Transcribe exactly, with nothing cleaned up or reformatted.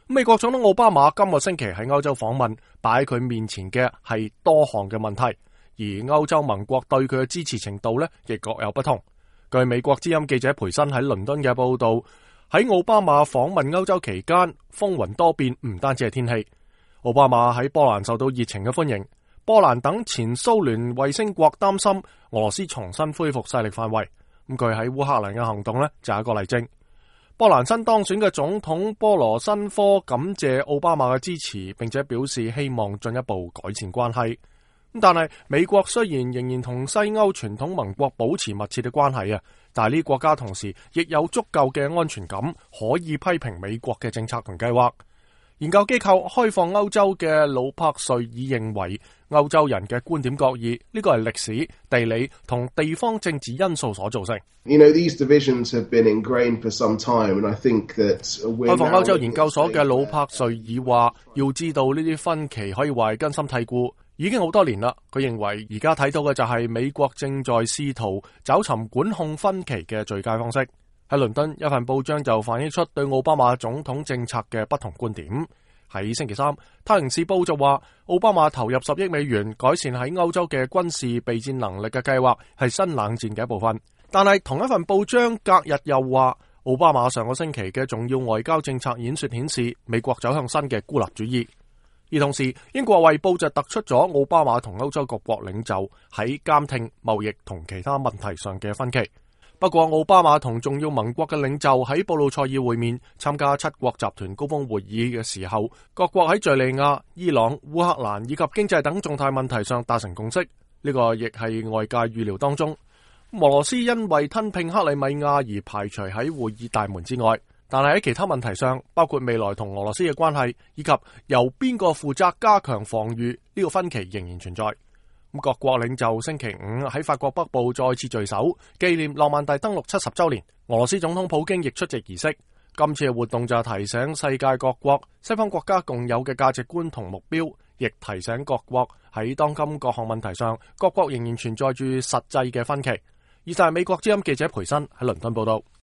美國總統奧巴馬今個星期喺歐洲訪問，擺喺佢面前嘅係多項嘅問題，而歐洲盟國對佢嘅支持程度呢亦各有不同。據美國之音記者培森喺倫敦嘅報道，喺奧巴馬訪問歐洲期間，風雲多變，唔單止係天氣。奧巴馬喺波蘭受到熱情嘅歡迎，波蘭等前蘇聯衛星國擔心俄羅斯重新恢復勢力範圍。咁佢喺烏克蘭嘅行動呢就係一個例證。波蘭新當選嘅總統波羅申科感謝奧巴馬嘅支持，並且表示希望進一步改善關係。但係美國雖然仍然同西歐傳統盟國保持密切嘅關係啊，但係呢啲國家同時亦有足夠嘅安全感，可以批評美國嘅政策同計劃。研究機構開放歐洲嘅魯柏瑞爾認為，歐洲人嘅觀點各異，呢個係歷史、地理同地方政治因素所造成。You know, these divisions have been ingrained for some time, and I think that 開放歐洲研究所嘅魯柏瑞爾話，要知道呢啲分歧可以話係根深蒂固，已經好多年啦。佢認為而家睇到嘅就係美國正在試圖找尋管控分歧嘅最佳方式。喺倫敦，一份報章就反映出對奧巴馬總統政策嘅不同觀點。喺星期三，《泰晤士報》就話，奧巴馬投入十億美元改善喺歐洲嘅軍事備戰能力嘅計劃係新冷戰嘅一部分。但係同一份報章隔日又話，奧巴馬上個星期嘅重要外交政策演說顯示，美國走向新嘅孤立主義。而同時，英國衛報就突出咗奧巴馬同歐洲各國領袖喺監聽、貿易同其他問題上嘅分歧。不過，奧巴馬同重要盟國嘅領袖喺布魯塞爾會面，參加七國集團高峰會議嘅時候，各國喺敘利亞、伊朗、烏克蘭以及經濟等重大問題上達成共識。呢個亦係外界預料當中。俄羅斯因為吞併克里米亞而排除喺會議大門之外，但係喺其他問題上，包括未來同俄羅斯嘅關係以及由邊個負責加強防禦，呢個分歧仍然存在。各國領袖星期五喺法國北部再次聚首，紀念諾曼第登陸七十週年。俄羅斯總統普京亦出席儀式。今次嘅活動就係提醒世界各國西方國家共有嘅價值觀同目標，亦提醒各國喺當今各項問題上，各國仍然存在住實際嘅分歧。以上係美國之音記者培森喺倫敦報道。